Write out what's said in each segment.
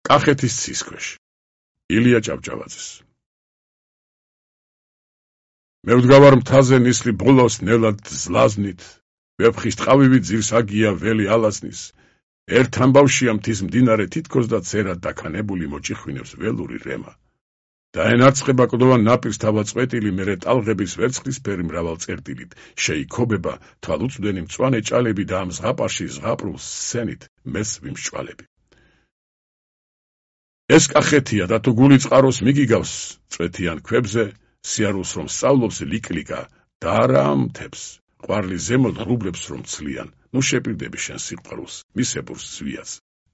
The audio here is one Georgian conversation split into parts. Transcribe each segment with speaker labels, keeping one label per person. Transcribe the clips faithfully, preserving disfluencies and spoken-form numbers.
Speaker 1: კახეთის ცისქვეშ. ილია ჭავჭავაძის. მე ვდგავარ მთაზე ნისლი ბოლოს ნელად ზლაზნით, ვეფხის ტყავივით ძირს აგია ველი ალაზნის, ერთ ამბავშია მთის მდინარე თითქოს და ცერად დაქანებული მოჭიხვინებს ველური რემა. დაენარცხება კლდოვან ნაპირს თავაწყვეტილი, მერე ტალღების ვერცხლისფერი მრავალ წერტილით, შეიქობება თვალუწვდენი მწვანე ჭალები და ამ ზღაპარში ზღაპრულ სცენით მეს ვიმსჭვალები. ეს კახეთია და თუ გული წყაროს მიგიგავს წვეთიან ქვებზე, სიარულს რომ სწავლობს ლიკლიკა და არა ამთებს, ყვარლი ზემოთ ღრუბლებს რომ ცლიან, ნუ შეპირდები შენ სიყვარულს, მისებურს ზვიას.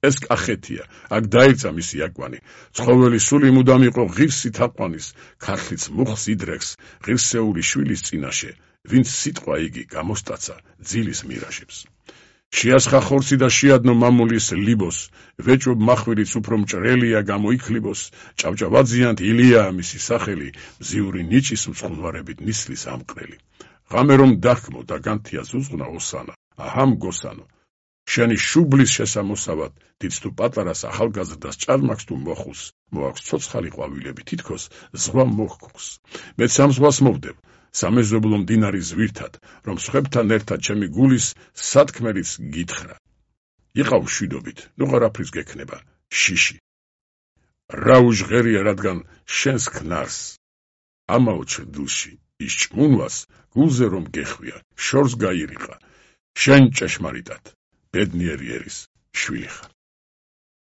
Speaker 1: ეს კახეთია, აქ დაიცა მისი აკვანი, ცხოველი სული მუდამ იყო ღირსი თაყვანის, ქართლიც მუხს იდრექს, ღირსეული შვილის წინაშე, ვინც სიტყვა იგი გამოსტაცა ძილის მირაშებს. შეასხა ხორცი და შეადნო მამულის ლიბოს, ვეჭვობ მახვილიც უფრო მჭრელია გამოიქლიბოს, ჭავჭავაძიანთ ილიაა მისი სახელი, მზიური ნიჭის მწყვლარებით ნისლის ამყრელი. ღამე რომ დახკმო და განთია ზუზღნა ოსანა, აჰამ გოსანო. შენი შუბლის შესამოსავად, დიდს თუ პატარას ახალგაზრდას ჭარმაქს თუ მოხუს, მოაქვს ცოცხალი ყვავილები თითქოს ზღვა მოჰქუს. მეც ამ ზღვას მოვდებ, სამეზობლო მდინარი ზვირთად, რომ სხვებთან ერთად ჩემი გულის სათქმელიც გითხრა. იყავ მშვიდობით, ნუ ყარაფრის გექნება, შიში. რა უჟღერია, რადგან შენს ქნარს, ამაო ჩრდილში, ის ჭმუნვას, გულზე რომ გეხვია, შორს გაირიყა, შენ ჭეშმარიტად, ბედნიერი ერის შვილი ხარ.